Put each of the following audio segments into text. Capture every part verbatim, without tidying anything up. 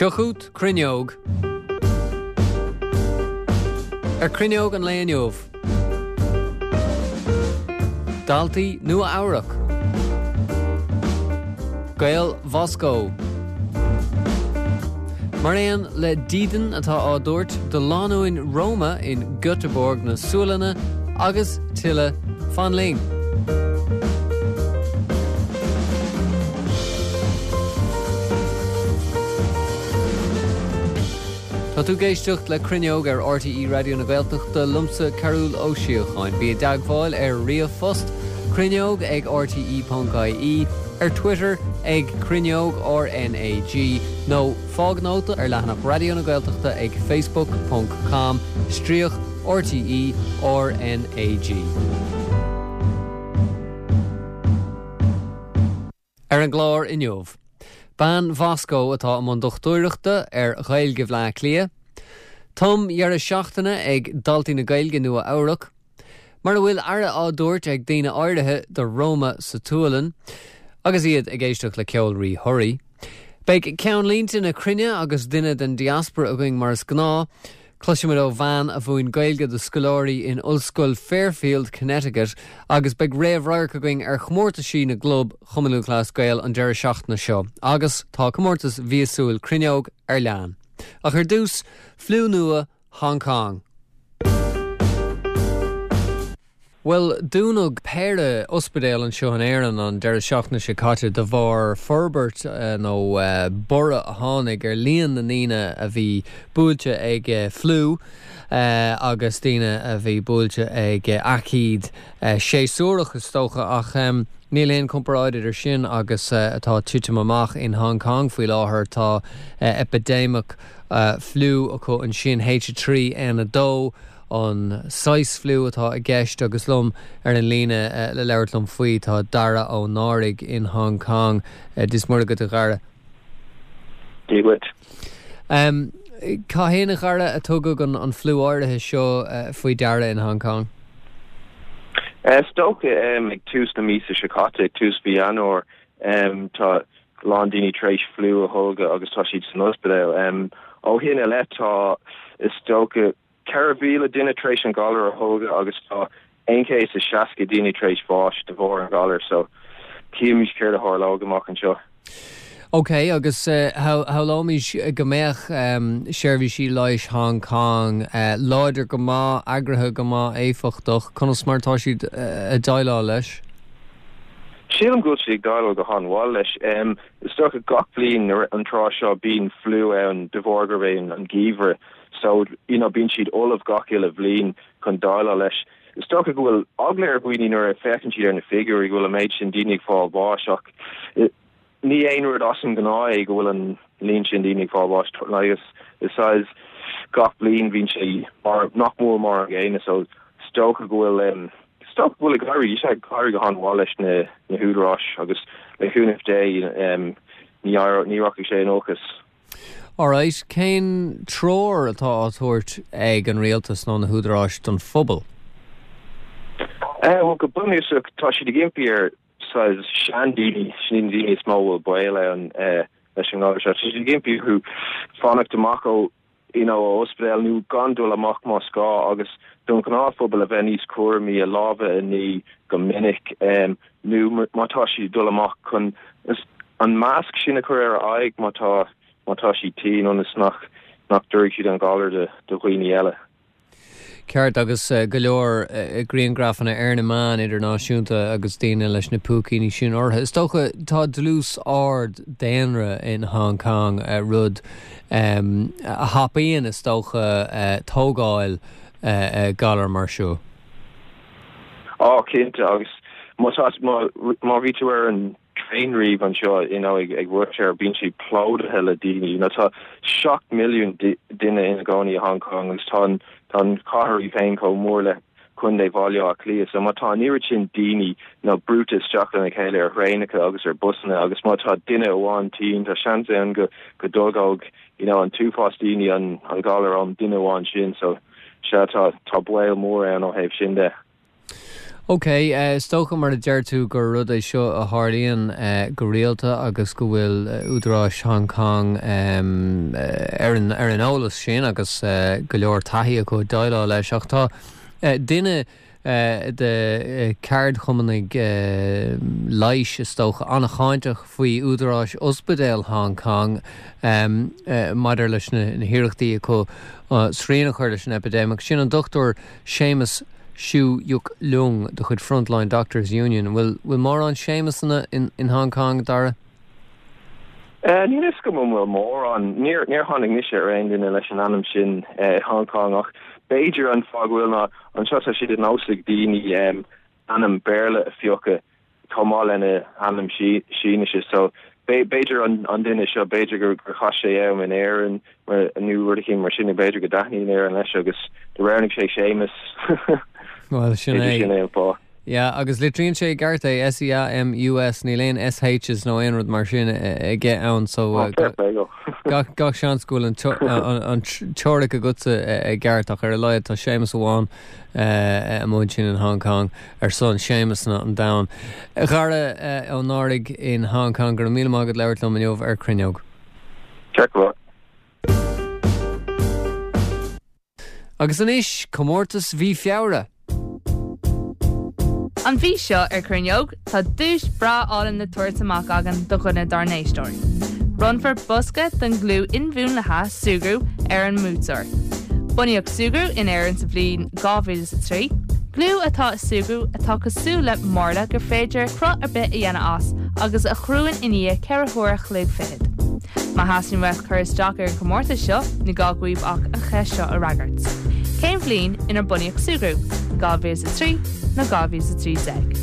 Seo chugat Cruinneog. Ar Cruinneog an lae inniu. Daltaí Nua Eabhrac. Gaeil Mhoscó. Mar aon le dídean atá á dtabhairt do lánúin Roma in Göteborg na Sualainne agus tuilleadh fan linn. Tá tú ag éisteacht le Cruinneog ar RTÉ Raidió na Gaeltachta liomsa Cearbhall Ó Síocháin. Bí i dteagmháil ar ríomhphost cruinneog ag rte ponc ie, ar Twitter ag Cruinneog RnaG nó fág nóta ar leathanach Raidió na Gaeltachta ag facebook ponc com stríoc RTÉ RnaG. Ar an gclár inniu, bean Mhoscó atá i mbun dochtúireachta ar Ghaeilge Bhleá Cliath, tumdheireadh seachtaine ag daltaí na Gaeilge Nua Eabhrac, mar a bhfuil aire á dtabhairt ag daoine áirithe do Roma sa tSualainn, agus iad ag éisteacht le ceol Rí Thoraí. Beidh ceannlínte na cruinne agus duine den diaspora againn mar is gnáth. Cloisfimid ó bhean a mhúin Gaeilge do scoláirí in Ollscoil Fairfield, Connecticut agus beidh réamh-radharc againn ar chomórtaisí na gclub Chumann Lúthchleas Gael an deireadh seachtaine seo agus tá comórtas mhíosúil Cruinneog ar lean. Ach ar dtús, fliú nua Hong Kong. Bhuel, dúnadh péire ospidéal anseo in Éirinn an deireadh seachtaine seo caite de bharr forbairt nó borradh a tháinig ar líon na ndaoine a bhí buailte ag fliú agus daoine a bhí buailte ag aicíd séasúrach is dócha ach níl aon comparáid idir sin agus atá ag titim amach in Hong Kong faoi láthair. Tá eipidéimeach fliú acu ansin, H a trí N a dó. an saghas fliú atá i gceist agus liom ar an líne le labhairt liom faoi tá Dara Ó Náraigh in Hong Kong. Dia is Muire dhuit a Dhara. Dia dhuit. Cathain a Dhara a tugadh an fliú áirithe seo faoi deara in Hong Kong? Is dócha ag tús na míosa seo caite, ag tús mhí Eanáir, tá a lán daoine tar éis fliú a tholgadh agus tá siad san ospidéal. Ó shin i leith tá, is dócha, ceithre mhíle duine tar éis an galar a tholgadh agus tá aon chéad is seasca daoine tar éis bháis de bharr an ghalair so cífimid céard a tharlóidh amach anseo. Ok, agus shamhlóimis go mbeadh seirbhísí leighis Hong Kong láidir go maith, eagraithe go maith, éifeachtach, conas mar atá siad ag déileáil leis? Sílim go bhfuil siad ag déileáil go han-mhaith leis. Is dócha gach bliain an tráth seo bíonn fliú ann de bharr gurb é an geimhreadh so you know bíonn siad ullamh gach uile bhliain chun déileáil leis. Is dócha go bhfuil eagla ar dhaoine nuair a féachann siad ar na figiúirí go bhfuil an méid sin daoine ag fáil bháis ach ní aon rud as an ngnáth é go bhfuil an líon sin daoine ag fáil bháis agus is saghas gach bliain bíonn sé mar nach mór mar an gcéanna so is dócha go bhfuil is dócha go bhfuil ag éirí is ag éirí go han-mhaith leis na na húdaráis agus le cúnamh Dé ní ní rachaidh sé in olcas. Alright, cén treoir atá á tabhairt ag an rialtas nó na húdaráis don phobal? Bhuel, go bunúsach tá siad ag impí ar saghas seandaoine, sin iad na daoine is mó a bhfuil baol ann leis an ngalar seo, tá siad ag impí orthu fanacht amach ó you know, ó ospidéal nó gan dul amach más gá agus don ghnáthphobal a bheith níos cúramaí, a lámha a ní go minic nó má tá siad ag dul amach chun an masc sin a chur ar a aghaidh má tá má tá siad tinn ionas nach nach dtabharfaidh siad an galar do dhaoine eile. Ceart, agus go leor grianghrafanna ar na meáin idirnáisiúnta agus daoine leis na púicíní sin orthu. Is dócha tá dlús ard daonra in Hong Kong, rud a thapaíonn, is dócha, tógáil galar mar seo. Á, cinnte, agus má tá, má bhí tú ar an traein riamh anseo, you know, ag rush hour, bíonn sé plódaithe le daoine. You know, tá seacht milliún duine ina gcónaí i Hong Kong agus tá an, tá an chathair í féin chomh mór le Contae Bhaile Átha Cliath. So má tá an oiread sin daoine, you know, brúite isteach lena chéile ar thraenacha agus ar busanna agus má tá duine amháin tinn, tá seans ann go, go dtolgódh, you know, an t-uafás daoine an, an galar ón duine amháin sin. So, sea, tá, tá baol mór ann ó thaobh sin de. Ok, uh, is dócha mar a deir tú gur rud é seo a tharlaíonn uh, go rialta agus go bhfuil uh, údaráis Hong Kong um, uh, ar an ar an eolas sin agus uh, go leor taithí acu déileáil leis ach tá uh, duine uh, de uh, ceardchumannaigh uh, leighis is dócha an-cháinteach faoi údaráis ospidéal Hong Kong um, uh, maidir leis na, na hiarrachtaí acu uh, srian a chur leis an epidemic. Sin an Dr. Seamus Siu Yuk Leung de chuid Frontline Doctors Union. Will will mórán Seamusanna in, in Hong Kong Dara? Uh, Níl a fhios agam an bhfuil mórán níor níor tháinig mise ar aon duine leis an ainm sin uh, Hong Kong ach b'fhéidir an fáth go bhfuil ná anseo tá sé de nós ag daoine um, ainm Béarla a phiocadh chomh maith lena ainm Sínise so b'fhéidir an an duine seo b'fhéidir gur gur chaith sé am in Éirinn mar nó rud éigin mar sin b'fhéidir go dtaitníonn Éirinn leis agus do roghnaigh sé Séamus Well sin é. sin é an fáth. Ja, agus litríonn sé ceart é SEAMUS níl aon SHs nó aon rud mar sin aige ann so Oh, fair play go. gach gach seans go bhfuil an teo- an an teoiric agatsa i gceart ach ar a laghad tá Séamus amháin amuigh ansin in Hong Kong ar son Séamus na an domhain. Dara Ó Náraigh in Hong Kong go raibh míle maith agat labhairt liom inniu ar Cruinneog. Check what. Agus anois comórtas mhí Feabhra. An mhí seo ar Cruinneog tá duais bhreá álainn le tabhairt amach againn do dhuine dár n-éisteoirí. Bronnfar bosca den gliú inmhúnlaithe Súgarú ar an mbuaiteoir. Bunaíodh Súgarú in Éirinn sa bhliain dhá mhíle is a trí, Gliú atá i Súgarú atá cosúil le marla gur féidir cruth ar bith a dhéanamh as agus a chruann i ndiaidh ceithre huaire an chloig fichead. Má theastaíonn uait cur isteach ar an chomórtas seo ní gá daoibh ach an cheist seo a fhreagairt. Cén bhliain inar bunaíodh Súgarú, dhá mhíle a trí nó dhá mhíle a trí déag.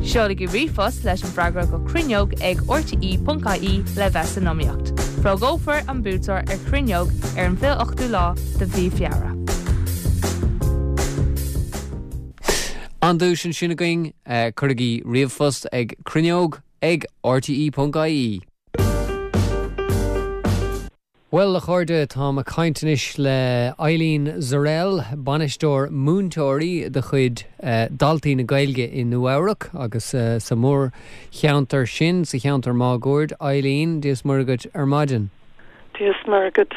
Seolaigí ríomhphost leis an bhfreagra go cruinneog ag rte.ie le bheith san iomaíocht. Fógrófar an buaiteoir ar Cruinneog ar an bhfiche ochtú lá de mhí Feabhra. An duais ansin againn uh, cuirigí ríomhphost ag cruinneog ag rte.ie. Well a chairde táim ag caint anois le Eileen Zurell, bainisteoir múinteoirí de chuid uh, Daltaí na Gaeilge i Nua-Eabhrac agus uh, sa mórcheantar sin sa cheantar máguaird Eileen Dia is Muire dhuit ar maidin. Dia is Muire dhuit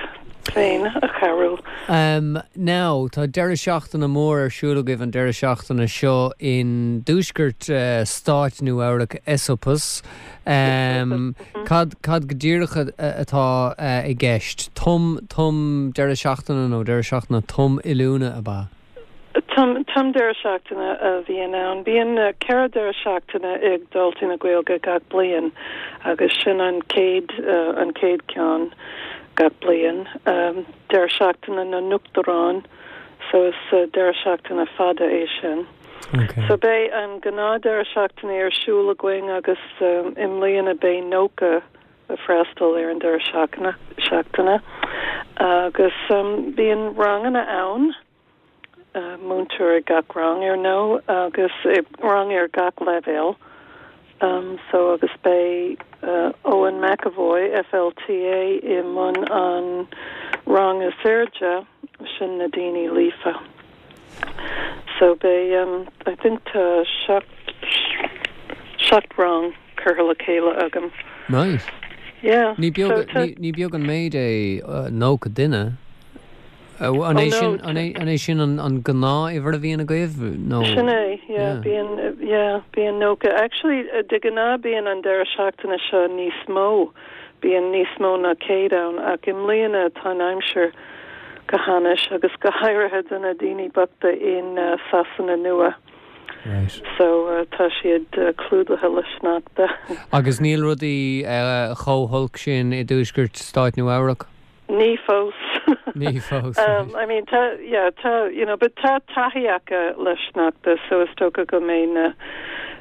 féin a Chearbhaill. Um, now tá deireadh seachtaine mór ar siúl agaibh an deireadh seachtaine seo in dtuaisceart uh, stáit Nua-Eabhrac Esopus. Um, cad cad go díreach atá uh, i gceist tum tum deireadh seachtaine nó deireadh seachtaine tum oiliúna ab ea. Tum tum deireadh seachtaine a bhíonn ann. Bíonn uh, ceithre deireadh seachtaine ag Daltaí na Gaeilge gach bliain agus sin an chéad uh, an chéad ceann gach bliain. Um, deireadh seachtaine na n-uachtarán, so is uh, deireadh seachtaine fada é sin. Okay. So beidh an gnáth deireadh seachtaine ar siúl againn agus um, i mbliana beidh nócha ag freastal ar an deireadh seachtaine seachtaine. Agus um, bíonn ranganna ann, uh, múinteoir ag gach rang ar ndóigh agus uh, rang ar gach leibhéal. Um, so agus beidh uh, Owen McAvoy FLTA i mbun an rang is airde sin na daoine líofa. So beidh um, I think tá seacht seacht rang curtha le chéile agam. Nice. Yeah. Ní so beag tá- ní beag an méid é uh, nócha duine. Uh, an é Oh, no, sin an é an é sin an an gnáthuimhir a bhíonn agaibh nó Sin é, yeah, Yeah. bíonn uh, yeah, bíonn nócha. Actually, uh, de ghnáth bíonn an deireadh seachtaine seo níos mó, bíonn níos mó ná céad ann ach i mbliana tá an aimsir go hainnis agus go háirithe do na daoine bochta in uh, Sasana nua. Right. So uh, tá siad uh, clúdaithe le sneachta. Agus níl rudaí uh, chomh holc sin i dtuaisceart stáit Nua-Eabhrac? Ní fós. Ní fós. Um, I mean, tá, yeah, tá, you know, but tá taithí acu le sneachta, so is dócha go mbeidh na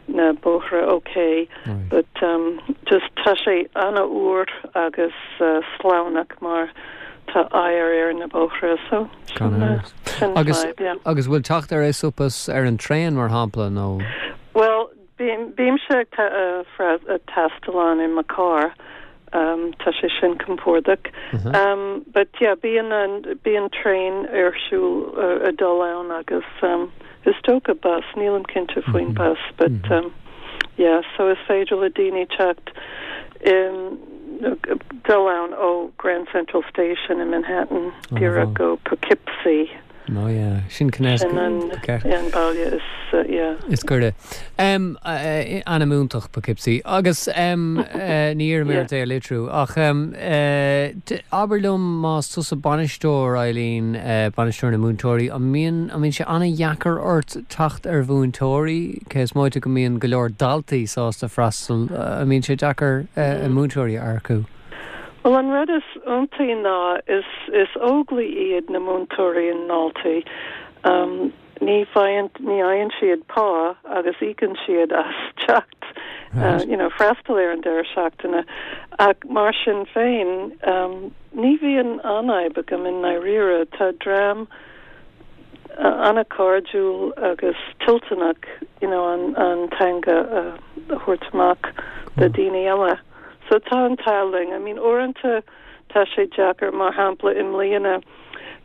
na bóithre okay. Right. But um, just tá sé an-fhuar agus uh, sleamhnach mar tá oighear ar na bóithre, so Gan sin, uh, amhras. sin Agus vibe, yeah. agus bhfuil teacht ar Esopus ar an traein mar shampla nó Well, bím bímse ag ta- uh, fra- uh, taisteal ann i mo charr. Um, tá sé sin compordach. Mhm. Um, but yeah, bíonn an bíonn traein ar siúl uh, ag dul ann agus um, Is dócha bus, nílim cinnte faoin mm -hmm. bus, but mm -hmm. um, yeah, so is féidir le daoine teacht um, dul ann ó Grand Central Station in Manhattan díreach go Poughkeepsie. No yeah, sin an baile is uh, yeah. Is cuide. Um, uh, ainm iontach Poughkeepsie agus um, uh, ní mé é litriú ach um, uh, abair liom más tusa bainisteoir Eileen uh, bainisteoir na múinteoirí an mbíonn an mbíonn sé an-deacair ort teacht ar mhúinteoirí cé is móide go mbíonn go leor daltaí sásta freastal uh, an mbíonn sé deacair uh, múinteoirí a earcú. Well an rud is iontaí ná is is óglaigh iad na múinteoirí in Daltaí. Um, ní fhaigheann ní fhaigheann siad pá agus íocann siad as teacht uh, you know, freastal ar an deireadh seachtaine ach mar sin féin um, ní bhíonn an fhadhb agam i ndáiríre tá dream uh, an-chairdiúil agus toilteanach you know, an, an teanga uh, a thabhairt amach do daoine eile. So tá an t-ádh linn. I mean uaireanta tá sé deacair mar shampla i mbliana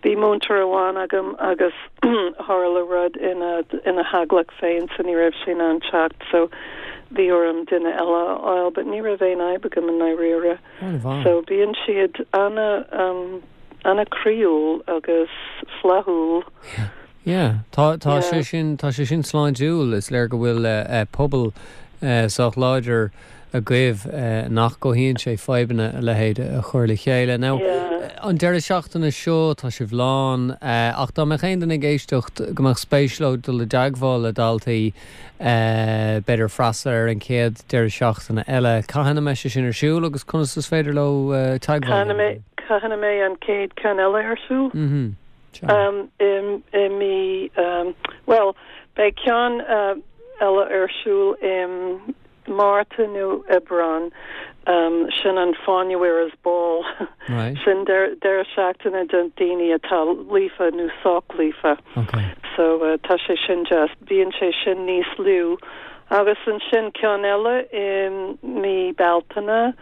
bhí múinteoir amháin agam agus tharla rud ina ina theaghlach féin so ní raibh sé in ann teacht so bhí orm duine eile a fháil, but ní raibh aon fhadhb agam i ndáiríre. So bíonn siad ana um, an-chroíúil agus flaithiúil. Yeah. Yeah, tá tá sé sin tá sé sin sláintiúil is léir go bhfuil uh, uh, pobal uh, sách láidir agaibh uh, nach gcothaíonn sé fadhbanna a leithéid a chur le chéile. Now Yeah. an deireadh seachtaine seo tá sibh lán uh, ach dá mbeadh aon duine ag éisteacht go mbeadh spéis leo dul i dteagmháil le Daltaí uh, b'fhéidir freastal ar an chéad deireadh seachtaine eile. Cathain a mbeidh sé sin ar siúl agus conas is féidir leo uh, teagmháil. Cathain a mbeidh an chéad cheann eile ar siúl? Mhm. Um, i, i mí um, well beidh ceann uh, eile ar siúl i Márta nó Aibreán um, sin an Fáinne Ball Right. sin deireadh seachtaine do daoine atá líofa nó sách líofa. Okay. So uh, tá sé sin just bíonn sé sin níos lú agus ansin ceann eile i mí Bealtaine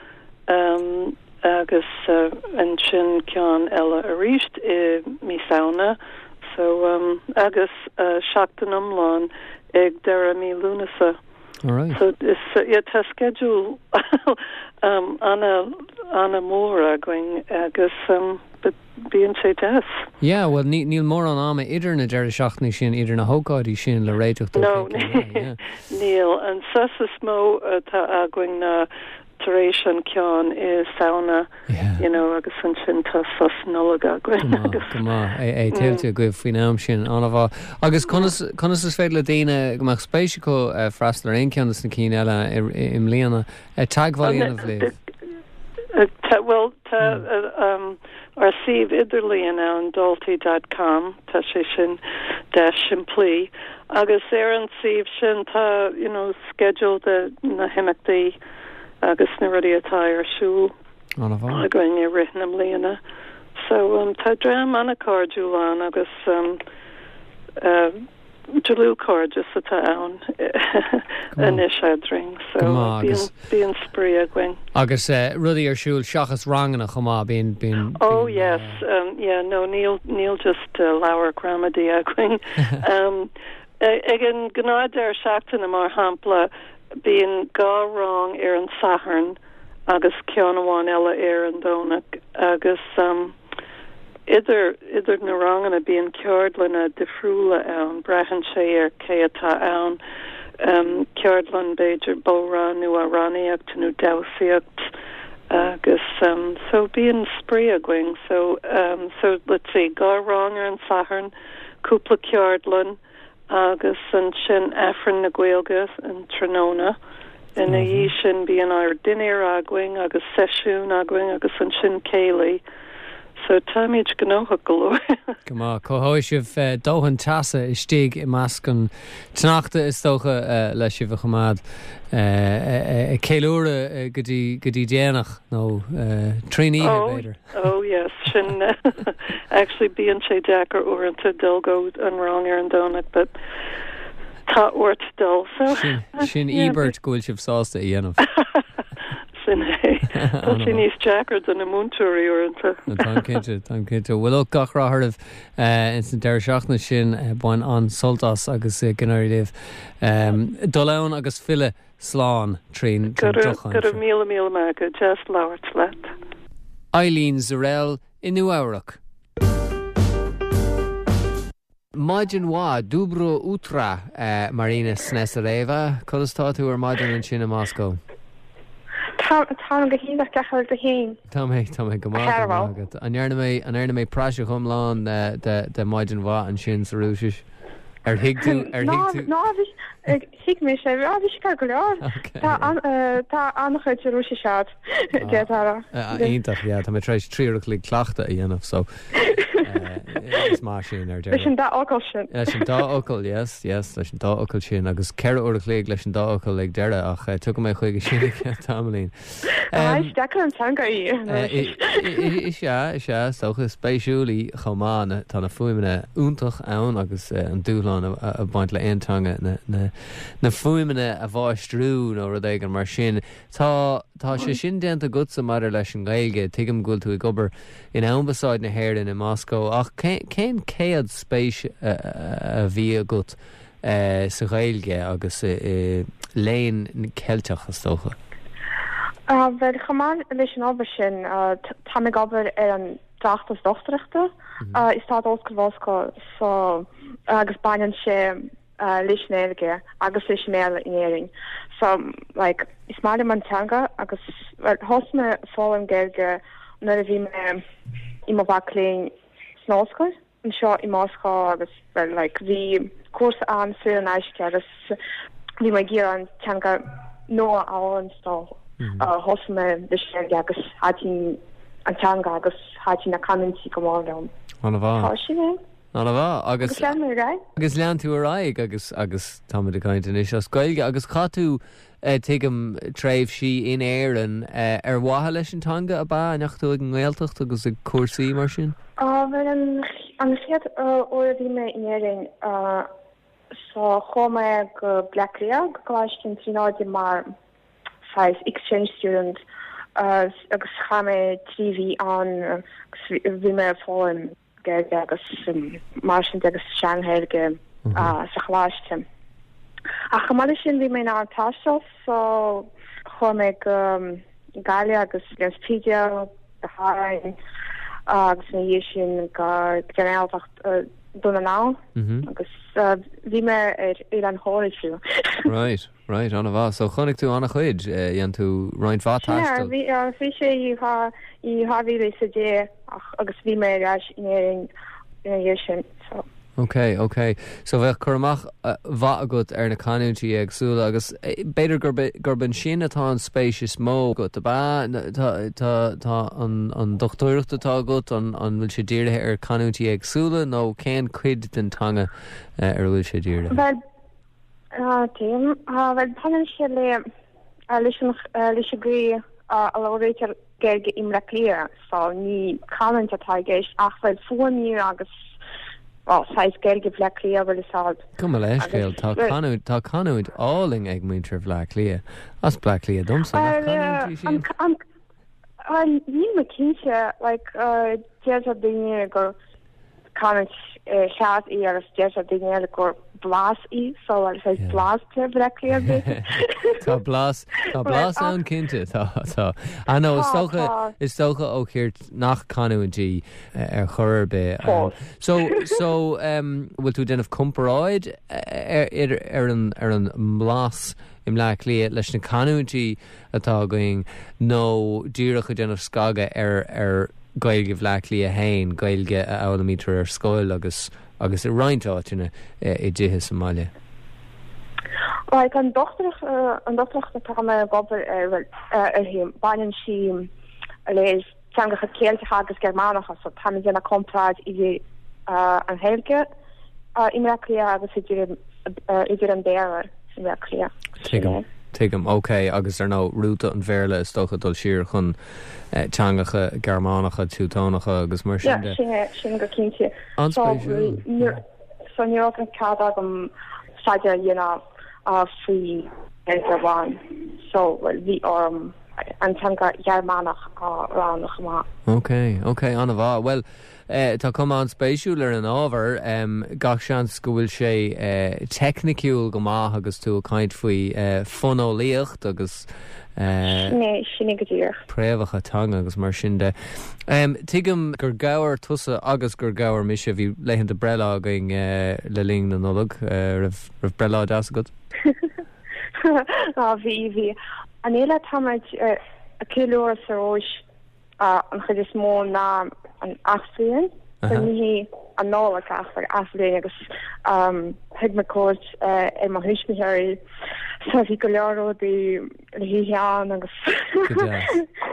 um, agus uh, ansin ceann eile arís i mí Samhna so um, agus uh, seachtain iomlán ag deireadh mí Lúnasa. All right. So is uh, yeah, tá schedule um, ana ana mór againn agus um, but bíonn sé deas. Yeah, well ní níl mórán ama idir na deireadh seachtaine sin idir na hócáidí sin le réiteach No, níl an sos is mó atá againn na tar éis an ceann i Samhna Yeah. you know agus ansin tá sos Nollag againn agus Go maith é é tuillte agaibh faoin am sin an-mhaith. Agus conas conas is féidir le daoine go mbeadh spéis acu eh, freastal ar aon cheann de na cinn eile i i mbliana teagmháil a dhéanamh libh. Uh, tá- well tá uh, um, ár suíomh idirlíon ann daltaí dot com tá sé sin deas simplí agus ar an suíomh sin tá you know schedule de na himeachtaí agus na rudaí atá ar siúl An-mhaith. againn i rith na bliana. So um, tá dream an-chairdiúil ann agus um, uh, dlúthchairdeas atá ann anois eadrainn so Go maith, bíonn agus- bíonn spraoi againn. Agus uh, rudaí ar siúl seachas ranganna chomh maith bíonn bíonn Oh yes, um, yeah, no, níl níl just uh, leabhar gramadaí againn. um, ag an gnáthdheireadh seachtaine mar shampla bíonn dhá rang ar an Satharn agus ceann amháin eile ar an Domhnach agus um, idir idir na ranganna bíonn ceardlanna difriúla ann braitheann sé ar cé atá ann um, ceardlann b'fhéidir bodhrán nó amhránaíocht nó damhsaíocht agus um, so bíonn spraoi againn so um, so let's see dhá rang ar an Satharn cúpla ceardlann agus ansin Aifreann na Gaeilge an tráthnóna ina dhiaidh sin bíonn ár dinnéar againn agus seisiún againn agus ansin céilí so táimid gnóthach go leor. Go maith cothóidh sibh eh, dóthain teasa istigh i measc an tsneachta is dócha eh, le sibh a choimeád eh, ag ceiliúradh go dtí go dtí déanach nó trína Oh, b'fhéidir. oh yes sin actually bíonn sé deacair uaireanta dul go an rang ar an Domhnach but tá ort dul so Sin sin Yeah, íobairt go bhfuil sibh sásta a dhéanamh. Sin é. Tá sé níos deacra do na múinteoirí uaireanta. Tá cinnte tá cinnte. Bhuel gach rath oraibh ins an deireadh seachtaine sin bain an-sult as agus go n-éirí libh. Dul ann agus filleadh slán trín Go raibh míle míle maith agat deas labhairt leat. Eileen Zurell i Nua-Eabhrac. Maidin mhaith Dobro utro uh, Marina Snesareva, Conas tá tú ar maidin ansin i Moscó. Tá go hiontach cén chaoi féin. Tá mé tá mé go maith An ndearna mé an ndearna mé praiseach iomlán de de maidin mhaith ansin sa Rúisis. Ar thuig tú ar thuig tú Ná thuig mé sé bhí sé go leor Tá an-chuid Rúisis agat Ah, Iontach tá mé tar éis trí uair an chloig cleachtadh a dhéanamh so is mar sin ar Leis an dá fhocal sin. Leis an dá fhocal yes yes leis an dá fhocal sin agus ceithre uair an chloig leis an dá fhocal ag deireadh ach tugann mé chuige sin tamaillín. Deacair an teanga í. Is ea is ea socha spéisiúil í chomh maith tá na fuaimeanna iontach ann agus an dúshlán a bhaint le aon teanga na, na, na fuaimeanna a mháistriú nó rud éigin mar sin. Tá tá sé sin déanta agatsa maidir leis an Ghaeilge, tuigim go bhfuil tú ag obair in Ambasáid na hÉireann i Moscó ach cén céad spéis a bhí agat sa Ghaeilge agus i léann Ceilteach is dócha. Bhuel chomh maith leis an obair sin tá ag obair ar an tráchtas dochtúireachta i Stát Ollscoil Mhoscó so agus baineann sé leis an Ghaeilge agus leis an mBéarla in Éirinn. So like is maith liom an teanga agus thosaigh mé foghlaim Gaeilge nuair a bhí mé i mo mhac léinn san ollscoil anseo i Moscó agus well like bhí cúrsa ann saor in aisce agus bhí mé ag iarraidh an teanga nua a fhoghlaim so thosaigh mé leis an Ghaeilge agus thaitin an teanga agus thaitin na canúintí go mór liom. An-mhaith. Tá sin é. An-mhaith agus Agus lean mé ar aghaidh. Agus lean tú ar aghaidh agus agus táimid ag caint anois as Gaeilge agus chaith tú tuigim tréimhsí in Éirinn ar mhaithe leis an teanga ab ea an ndeachaigh tú ag an nGaeltacht agus ag cúrsaí mar sin? Bhuel an an chéad uair a bhí mé in Éirinn so chuaigh mé go Bleá Cliath go Coláiste na Tríonóide mar saghas exchange student agus chaith mé trí mhí ann agus bhí mé ag foghlaim Gaeilge agus mar sin agus sean-Ghaeilge sa choláiste. Ach chomh maith leis sin bhí mé in ann taisteal so chuaigh mé go Gaillimh agus an Spidéal go hÁrainn agus ina dhiaidh sin go Gaeltacht Dún na nGall agus bhí mé ar Oileán Thoraí fiú. Right, right, an-mhaith. So chonaic tú an-chuid dhein tú roinnt mhaith taistil. Bhí bhí sé i i dhá mhíle is a deich agus bhí mé ar ais in Éirinn ina dhiaidh sin. So. Ok, ok. So bheadh cur amach mhaith agat ar na canúintí éagsúla agus b'fhéidir gurb gurb ansin atá an spéis is mó agat ab ea tá tá an an dochtúireacht atá agat an an bhfuil sé dírithe ar canúintí éagsúla nó cén cuid den teanga ar a bhfuil sé dírithe? Well tuigim well baineann sé le leis an leis an gcaoi a labhraítear Gaeilge i mBleá Cliath so ní canúint atá i gceist ach bhuel fuaimniú agus well saghas Gaeilge Bhleá Cliath bhfuil fhios agat. Gabh mo leithscéal tá canúint tá canúint álainn ag muintir Bhleá Cliath as Bleá Cliath domsa nach canúint í sin? An níl mé cinnte like deir daoine gur canúint cheart í agus deir daoine eile gur blas í so like saghas blas de Bhleá Cliath Tá blas tá blas ann cinnte tá tá I know is dócha is dócha ó chirt nach canúint í ar chor ar bith. So so um, bhfuil tú déanamh comparáid ar ar an ar an mblas i mBleá Cliath leis na canúintí atá againn nó díreach ag déanamh scagadh ar ar Gaeilge Bhleá Cliath féin, Gaeilge a fhoghlaimítear ar scoil agus agus i roinnt áiteanna i dtithe sa mbaile. Like an dochtúireacht an dochtúireacht atá mé ag obair ar uirthi baineann sí le teangacha Ceilteacha agus Gearmánacha so tá mé ag déanamh comparáid idir an Ghaeilge i mBleá Cliath agus idir idir an Béarla i mBleá Cliath. Tuigim. Tuigim, ok, agus ar ndóigh rúta an Bhéarla is dócha dul siar chun teangacha Gearmánacha, Teutónacha agus mar sin de. Yeah, sin sin go cinnte. An-spéisiúil. So ní raibh an cead agam staidéar a dhéanamh faoi Ghaeilge amháin so well bhí orm an teanga Ghearmánach á rá chomh maith. Ok, ok, an-mhaith. Bhuel, eh, tá cuma an-spéisiúil ar an ábhar, um, gach seans go bhfuil sé eh, teicniciúil go maith agus tú ag caint faoi eh, fóineolaíocht agus eh, Sin é, sin é go díreach. préamhacha teanga agus mar sin de. Um, tuigim gur gabhar tusa agus gur gabhar mise bhí laethanta breithlá againn uh, le linn na Nollag uh, raibh raibh breithlá deas agat? Á bhí bhí. An fhéile táimid ag ceiliúradh sa Rúis an chuid is mó ná an athbhliain so ní hí an Nollaig ach like athbhliain agus um, thug mé cuairt uh, ar mo thuismitheoirí so bhí go leor rudaí le hithe ann agus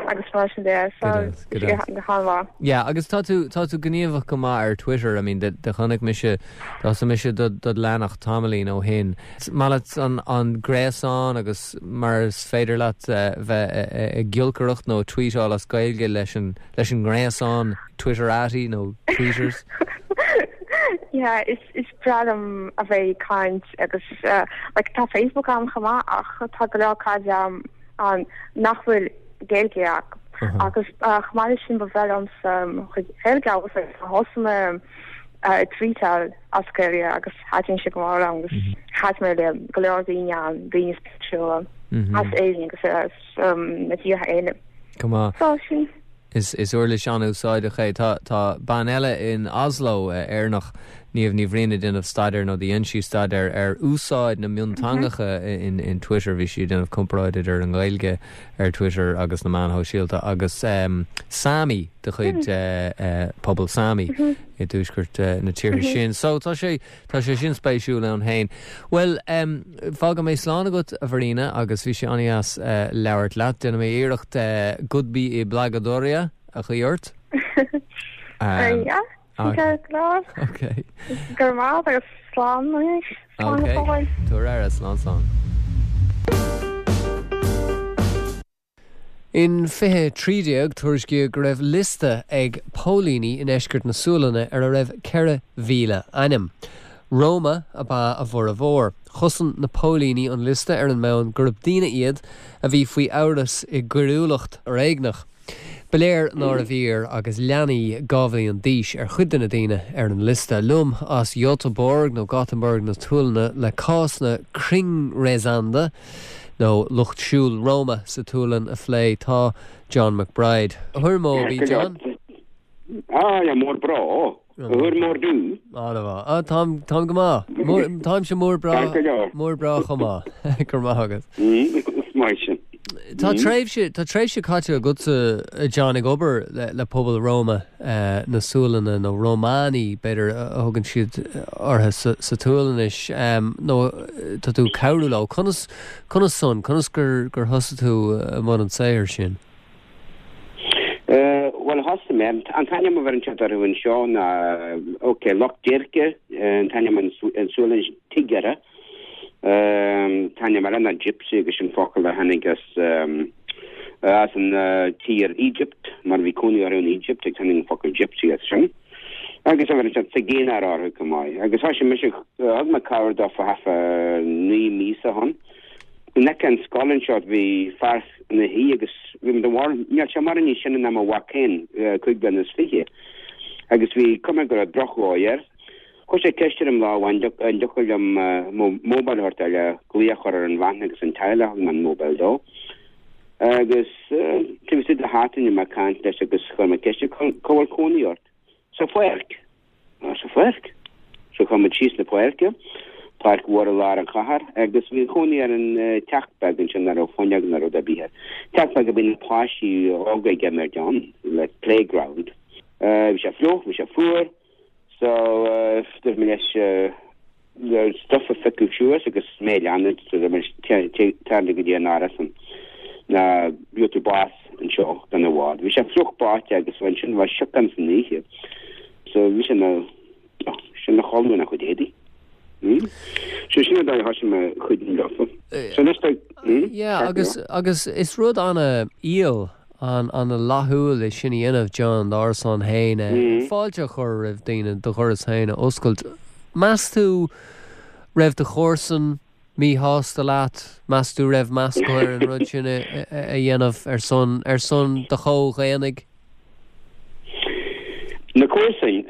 agus mar sin de so Go deas, go han-mhaith. Yeah, agus tá tú tá tú gníomhach go maith ar Twitter, I mean de de chonaic mise tá mise do do leanacht tamaillín ó shin. Maith leat an an gréasán agus mar is féidir leat uh, bheith ag giolcaireacht nó tweetáil as Gaeilge leis an leis an ngréasán Twitterati nó tweeters. Yeah, is is breá liom a bheith ag caint agus uh, like tá Facebook agam chomh maith ach tá go leor cairde agam ann nach bhfuil Gaeilge acu agus uh, chomh maith leis sin ba bhreá liomsa chuid Gaeilge agus thosaigh mé uh, tweetáil as Gaeilge agus thaitin sé go mór liom agus chas mé le go leor daoine ann daoine spéisiúla as Éirinn agus as um, na tíortha eile. Go maith. So sin Is is uirlis an-úsáideach é tá tá bean eile in Oslo uh, Éireannach Niamh Ní Bhriain ag déanamh staidéar nó dhein sí staidéar ar úsáid na mionteangacha in, in Twitter bhí sí ag déanamh comparáid ar an Ghaeilge ar Twitter agus na meáin shóisialta agus um, Sami de chuid uh, uh, pobal Sami i dtuaisceart uh, na tíortha sin. So tá sé tá sé sin spéisiúil ann féin. Well um, fágfaidh mé slán agat a Mharina agus bhí sé an-deas uh, labhairt leat déanfaidh mé iarracht uh, Gudby i Blagadoria a chuirt. um, yeah. okay. Go Okay. Go maith agus slán anois. Slán Okay. go fóill. Tabhair aire slán slán. In fiche trí déag tuairiscíodh go raibh liosta ag póilíní i ndeisceart na Sualainne ar a raibh ceithre mhíle ainm. Roma ab ea a bhformhór. Chosain na póilíní an liosta ar an mbonn gurb daoine iad a bhí faoi amhras i gcoiriúlacht fhoréigneach. Ba léir nárbh fhíor agus leanaí dhá bhliain d'aois ar chuid de na daoine ar an liosta liom as Göteborg nó Gothenburg na Sualainne le cás na kringresande nó lucht siúil Roma sa tSualainn a phlé tá John McBride. Hur mår du John? Ah, jag mår bra. Hur mår du? Ah, det var. Ah, táim táim go maith. Táimse mór breá Tack go leor. mór breá chomh maith go maith agat. Mm, maith sin. Tá tréimhse tá tréimhse caite agatsa John ag obair le, le pobal Roma uh, na Sualainne nó Romani b'fhéidir a thugann siad orthu sa, sa tSualainnis um, nó tá tú cabhrú leo conas conas son conas gur gur thosaigh tú i mbun an saothair sin. Uh, well, thosaigh mé, an t-ainm a bheireann siad orthu anseo ná ok, lucht déirce, an t-ainm an Sualainnis tiggare. Um, t-ainm eile ná gypsy agus sin focal a tháinig as um, as an uh, tír Egypt, mar bhí cónaí orthu in Egypt ag tháinig an focal gypsy as sin. Agus a bheireann siad zigeunare orthu go maith. Agus thosaigh mise thug mé cabhair dófa thart naoi míosa ó shin. In aice an scoil anseo bhí fear ina shuí agus bhí de bhar níl sé mar ní sin ná mhac féin cúig bliana is fiche. Agus bhí cuma go raibh drochdhóigh air. Chuir sé ceist orm lá an dtiocfadh liom mobile a thabhairt le glaoch a chur ar an bhean agus an teaghlach an mobile dó. Agus taobh istigh de sheachtain mé ag caint leis agus chuir mé ceist cá bhfuil cónaí ort. Sa pháirc. Sa pháirc. So chuaigh muid síos na páirce. Páirc mhór i lár an chathair agus bhí cónaí ar an teach beag ansin nach raibh fuinneog ná rud ar bith air. Teach beag a bhí na páistí óga ag imirt ann le playground. Bhí sé fliuch, bhí sé fuar, so dúirt mé leis stuff a phiocadh suas agus mé a leanúint so tar go dtí an árasán nó gheobhaidh tú bás anseo gan i bhfad. Bhí sé fliuch báite agus ansin bhí sioc ann san oíche. So bhí sé na sin na chodladh ina chuid éadaí. So sin an dóigh a thosaigh mé cuidiú leofa. So anois tá Yeah, agus agus is rud an-fhial an an-fhlaithiúil é sin a dhéanamh John d'árasán féin fáilte a chur roimh daoine do dhoras féin a oscailt. Meas tú raibh do chomharsain míshásta leat? Meas tú raibh meas acu ar an rud sin a a dhéanamh ar son ar son do chomhdhaonnaigh? Na comharsain,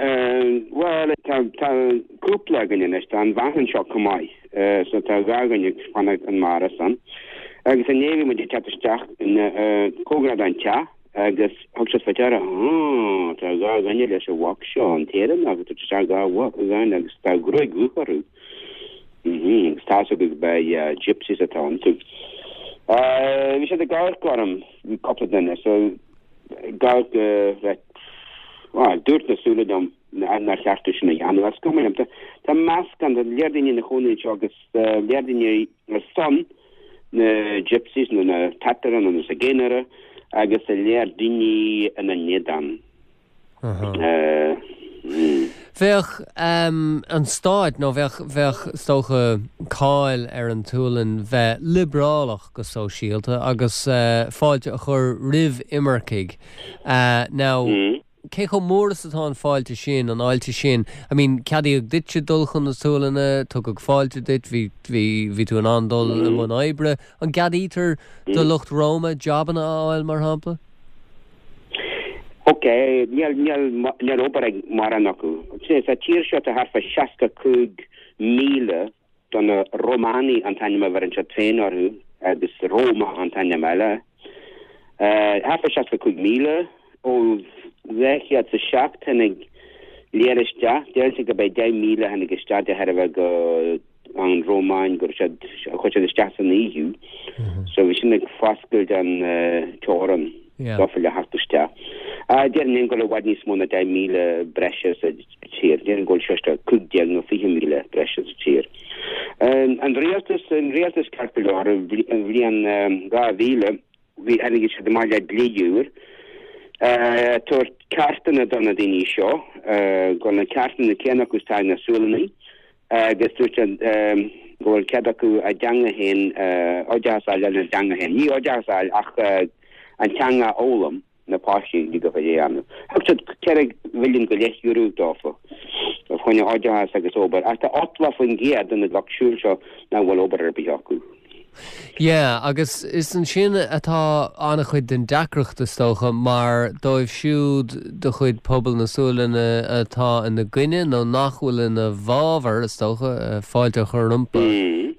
bhuel, tá tá cúpla againn anois, tá an bhean anseo chomh maith, so tá dhá dhuine ag fanacht an mbarra san. Agus inné bhí muid ag teacht isteach cóngarach don teach agus thug siad faoi deara, ah, tá dhá dhuine leis an mhac seo, an tÉireannach, ag tabhairt isteach dhá bhean agus tá gruaig dhubh orthu. Mhm, agus tá a fhios acu gurb é gypsies atá iontu. Bhí siad ag amharc orm, cúpla duine, so ag amharc le Bhuel, dúirt na súile liom nár cheart dom sin a dhéanamh. Is cuma liom. Tá meascán, tá léar daoine ina chónaí anseo agus léar daoine ar son na gypsies nó na Tatara nó na Zigeunere agus tá léar daoine ina n-éadan. Bheadh an stát nó bheadh, bheadh is dócha cáil ar an tSualainn bheith liobrálach go sóisialta agus fáilte a chur roimh imircigh. Now, cé chomh mór is atá an fáilte sin, an fháilte sin? I mean, ceadaíodh duitse dul chun na Sualainne, tugadh fáilte duit, bhí, bhí, bhí tú in ann dul i mbun oibre. An gceadaítear do lucht Roma jabanna a fháil, mar shampla? Ok, níl, níl, níl obair ag mórán acu. Sa tír seo tá thart fá seasca cúig míle de na Romani an t-ainm a bheireann siad féin orthu agus Roma an t-ainm eile. Thart fá seasca cúig míle ó dhá chéad is a seacht tháinig léar isteach. Deireann siad gurb é deich míle a tháinig isteach de thairbhe go an Rómáin go raibh siad, chuir siad isteach san EU. So bhí sin ag foscailt an teorann dófa le theacht isteach. Déarfainn go bhfuil i bhfad níos mó ná deich míle breise sa tír. Déarfainn go bhfuil suas le cúig déag nó fiche míle breise sa tír. An rialtas, an rialtas ceart go leor, an bhliain dhá mhíle, bhí, tháinig siad amach le dlí úr, tabhairt ceartanna do na daoine seo, go bhfuil na ceartanna céanna acu is atá ag na Sualannaigh, agus dúirt siad go bhfuil cead acu a dteanga féin, oideachas a fháil ina dteanga féin. Ní oideachas a fháil ach an teanga a fhoghlaim, na páistí go dtig a dhéanamh. Thug siad ceithre mhilliún go leith euro dófa fá choinne oideachas agus obair, ach tá ochtó faoin gcéad de na lucht siúil seo nach bhfuil obair ar bith acu. Yeah, agus is ansin atá an-chuid den deacracht is dócha, mar dóibh siúd de chuid pobal na Sualainne atá ina gcoinne nó nach bhfuil ina bhfabhar, is dócha, fáilte a chur rompu,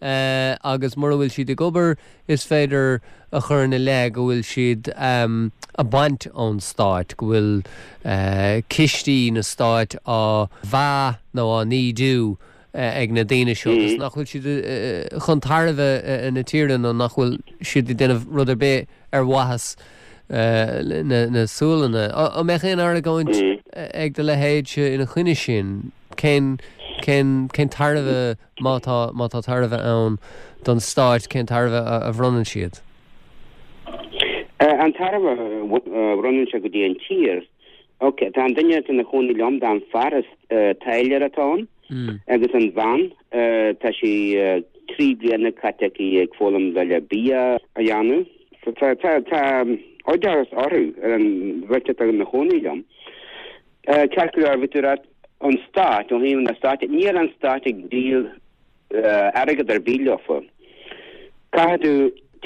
agus mura bhfuil siad ag obair, is féidir a chur ina leith go bhfuil siad ag baint ón stát, go bhfuil cistí na stáit á mheá nó á n-ídiú ag na daoine seo agus nach bhfuil siad chun tairbhe na tíre nó nach bhfuil siad ag déanamh rud ar bith ar mhaitheas na Sualainne. An mbeadh aon argóint ag do leithéidse ina choinne sin? Cén cén cén tairbhe, má tá má tá tairbhe ann don stáit, cén tairbhe a bhronnann siad? An tairbhe a bhronnann sé go dtí an tír, ok, tá an duine atá ina chónaí liom, tá an fear is táilliúir atá ann agus an bhean, tá sí trí bliana caite aici ag foghlaim le bia a dhéanamh. Tá tá tá oideachas orthu ar an bheirt atá ina chónaí liom. Ceart go leor, bhí tú ag rá an stát, ó thaobh na stáit, níl an stát ag díol airgead ar bith leofa. Caithfidh tú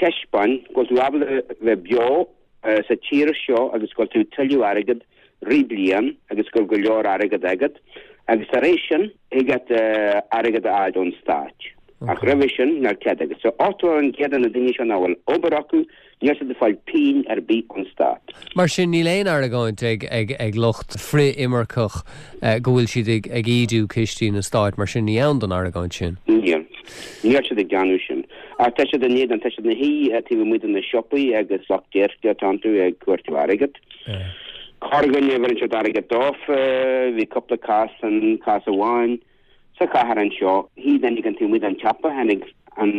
taispeáin go bhfuil tú ábalta bheith beo sa tír seo agus go bhfuil tú ag tuilleamh airgead rith bliain agus go bhfuil go leor airgead agat agus tar éis sin thig leat airgead a fháil ón stát. Ach roimhe sin níl cead agat. So ochtó faoin gcéad de na daoine seo nach bhfuil obair acu, níl siad ag fáil pingin ar bith ón stát. Mar sin níl aon argóint ag ag ag lucht frith-imirceach go bhfuil siad ag ag ídiú cistí na stáit, mar sin ní ann don argóint sin. Níl. Níl siad ag déanamh sin. Ach tá siad in éadan, tá siad ina shuí taobh amuigh de na siopaí agus lucht déirce atá iontu ag cuartú airgead. Corrdhuine a bheireann siad airgead dófa, bhí cúpla cás ann, cás amháin sa chathair anseo, shuigh duine éigin taobh amuigh den tsiopa, tháinig an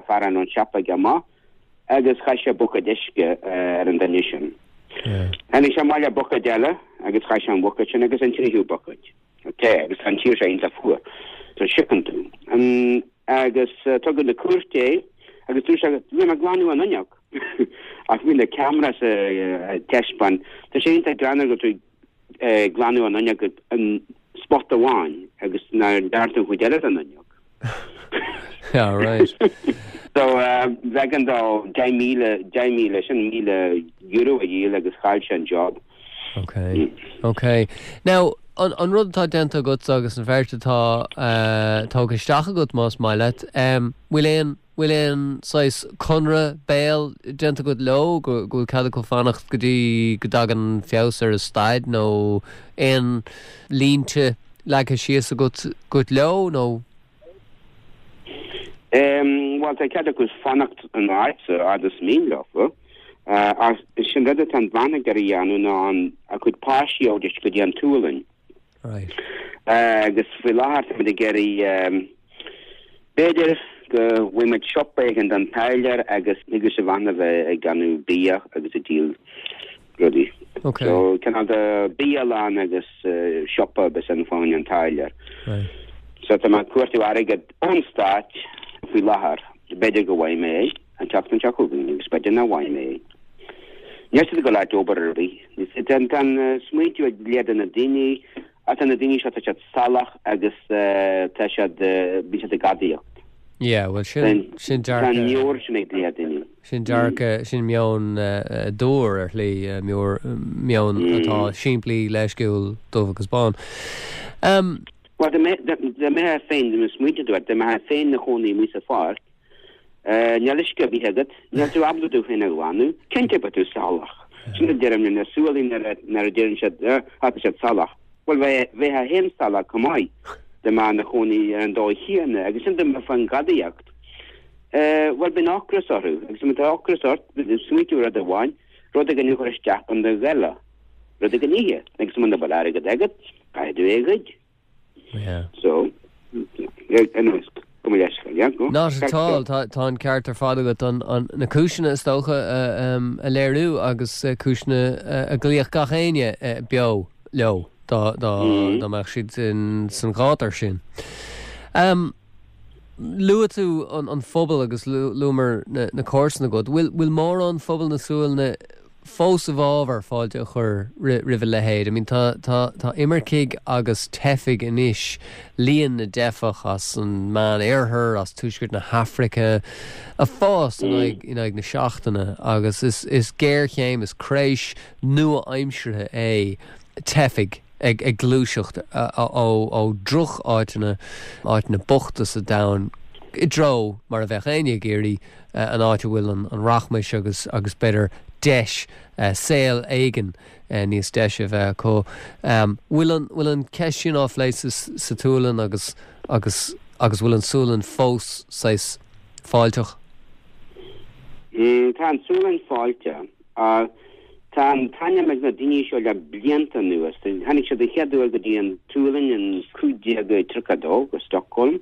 fear ón siopa aige amach agus chaith sé buicéad uisce ar an duine sin. Tháinig sé amach le buicéad eile agus chaith sé an buicéad sin agus an tríú buicéad. Te agus tá an tír seo iontach fuar. So siocann tú. An, agus tugadh na cúirte é agus dúirt sé, bhí mé ag glanadh an fhuinneog. Ach bhí na cameras ag taispeáin. Tá sé iontach greannmhar go bhfuil tú ag glanadh an fhuinneog an spot amháin agus nár dearn tú an chuid eile den fhuinneog. Yeah, right. So b'éigean dó deich míle deich míle sin míle euro a dhíol agus chaill sé an job. Okay. Okay. Now an, an rud atá déanta agat agus an bheirt atá uh, tógtha isteach agat más maith leat, um, bhfuil aon bhfuil aon saghas conradh béil déanta agat leo go go bhfuil cead acu fanacht go dtí go dtagann feabhas ar a staid nó aon línte leagtha síos agat agat leo nó Um, well tá cead acu fanacht an áit sa fhad is mian leo. Uh, sin rud atá an bhean ag iarraidh a dhéanamh ná an a cuid páistí a thabhairt go dtí an tSualainn. Right. Uh, agus faoi láthair táimid ag iarraidh um, b'fhéidir go bhfuil siopa éigin don táirlear agus agus a bhean a bheith ag déanamh bia agus ag díol rudaí. Okay. So cineál de bialann agus uh, siopa bes an fáin an táirlear. Right. So tá mé ag cuartú airgead ón stát faoi láthair b'fhéidir go bhfaighidh mé é an tseachtain seo chugainn agus b'fhéidir nach bhfaighidh mé é. Níl siad ag dul ag obair ar bith. Tá an smaointiú ag lear de na daoine ach tá na daoine seo tá siad salach agus tá siad bíonn siad ag gadaíocht. Yeah, well sin sin Tá dearcadh meabhair sin ag lear daoine. sin dearcadh sin meon dúr ar shlí meon atá simplí leisciúil dubh agus bán. Um, Well dá mbeifeá féin dá smaointe dá mbeifeá féin ina chónaí amuigh sa pháirc, níl uisce ar bith agat, níl tú ábalta tú féin a ghlanadh, cinnte beidh tú salach. Sin a deirim na Sualannaigh nuair a deireann siad tá siad salach. Well bheifeá féin salach chomh maith dá mbeifeá ina chónaí ar an dóigh chéanna agus sin dá fan gadaíocht. Well bíonn ocras orthu agus má tá ocras ort smaointiú rud amháin, rud éigin a chur isteach in do ghoile. Rud éigin ithe agus muna bhfuil airgead agat, caithfidh tú é a ghoid. Yeah. So anyways, go leis yeah, go. Not at all tá tá an ceart ar fad agat an, an na cúiseanna is dócha um, a léiriú agus uh, cúiseanna uh, a gcloífeadh gach éinne uh, beo leo dá dá Mm. dá mbeadh siad in san ghátar sin. Um, Luaigh tú an, an phobal agus luamar na, na comharsana agat, bhfuil bhfuil mórán phobal na Sualainne fós i bhfabhar fáilte a chur roimh a leithéid. I mean tá tá tá imircigh agus teifigh anois líon na dteifeach as an Meánoirthear as tuaisceart na hAfraice ag fás in aghaidh in aghaidh na seachtaine agus is is géarchéim is creis nua-aimseartha é teifigh ag ag gluaiseacht ó ó drocháiteanna áiteanna bochta sa domhan i dtreo mar a bheadh éinne ag iarraidh an áit a bhfuil an, an rachmas agus agus b'fhéidir deis uh, saol éigin uh, níos deise a bheith acu. Um, bhfuil an bhfuil an ceist sin á phlé sa, sa tSualainn agus agus agus bhfuil an Sualainn fós saghas fáilteach. Mm, tá an Sualainn fáilte. Uh, tá an t-ainm ag na daoine seo le blianta anuas. Tháinig siad an chéad uair go dtí an tSualainn in cúig déag tríocha dó go Stockholm